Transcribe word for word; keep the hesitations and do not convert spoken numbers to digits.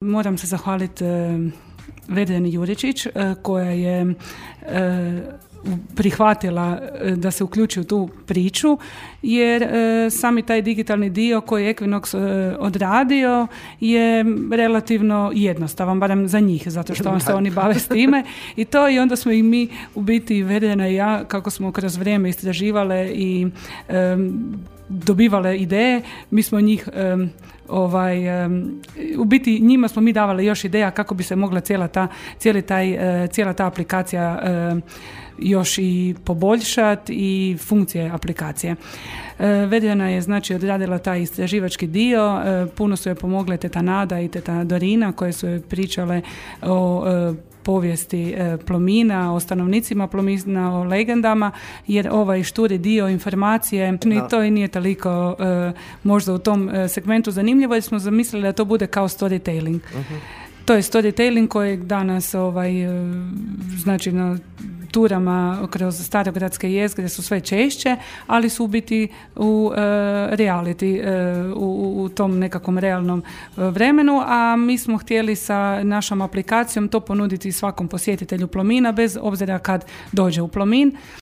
Moram se zahvaliti e, Verdeni Juričić e, koja je e, prihvatila e, da se uključi u tu priču, jer e, sami taj digitalni dio koji je Equinox e, odradio je relativno jednostavan, barem za njih, zato što se oni bave s time i to, i onda smo i mi u biti, Verdena i ja, kako smo kroz vrijeme istraživale i e, dobivale ideje, mi smo njih um, ovaj, um, u biti njima smo mi davali još ideja kako bi se mogla cijela ta, cijeli taj, uh, cijela ta aplikacija uh, još i poboljšati i funkcije aplikacije. Uh, Verdena je znači odradila taj istraživački dio, uh, puno su je pomogle teta Nada i teta Dorina koje su je pričale o uh, povijesti e, Plomina, o stanovnicima Plomina, o legendama, jer ovaj šturi dio informacije, ni to i nije toliko e, možda u tom e, segmentu zanimljivo, jer smo zamislili da to bude kao storytelling. Uh-huh. To je storytelling kojeg danas ovaj, e, znači na turama kroz starogradske jezgre su sve češće, ali su u biti u e, reality, e, u, u tom nekakvom realnom e, vremenu, a mi smo htjeli sa našom aplikacijom to ponuditi svakom posjetitelju Plomina, bez obzira kad dođe u Plomin.